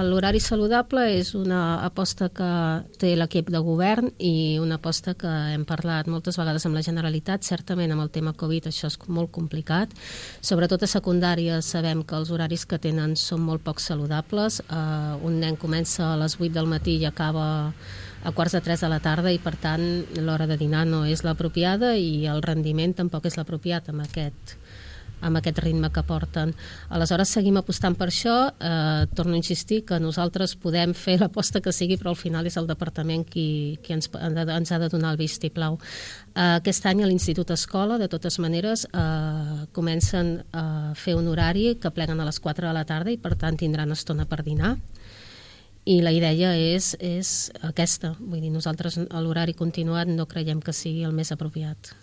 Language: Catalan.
l'horari saludable és una aposta que té l'equip de govern i una aposta que hem parlat moltes vegades amb la Generalitat. Certament amb el tema Covid això és molt complicat. Sobretot a secundària sabem que els horaris que tenen són molt poc saludables. Un nen comença a les 8 del matí i acaba a 2:45 de la tarda i per tant l'hora de dinar no és l'apropiada i el rendiment tampoc és l'apropiat amb aquest ritme que porten. Aleshores seguim apostant per això. Torno a insistir que nosaltres podem fer l'aposta que sigui, però al final és el departament qui ens ha de donar el vistiplau. Aquest any a l'Institut Escola, de totes maneres, comencen a fer un horari que pleguen a les 4 de la tarda i per tant tindran estona per dinar. I la idea és aquesta. Vull dir, nosaltres l'horari continuat no creiem que sigui el més apropiat.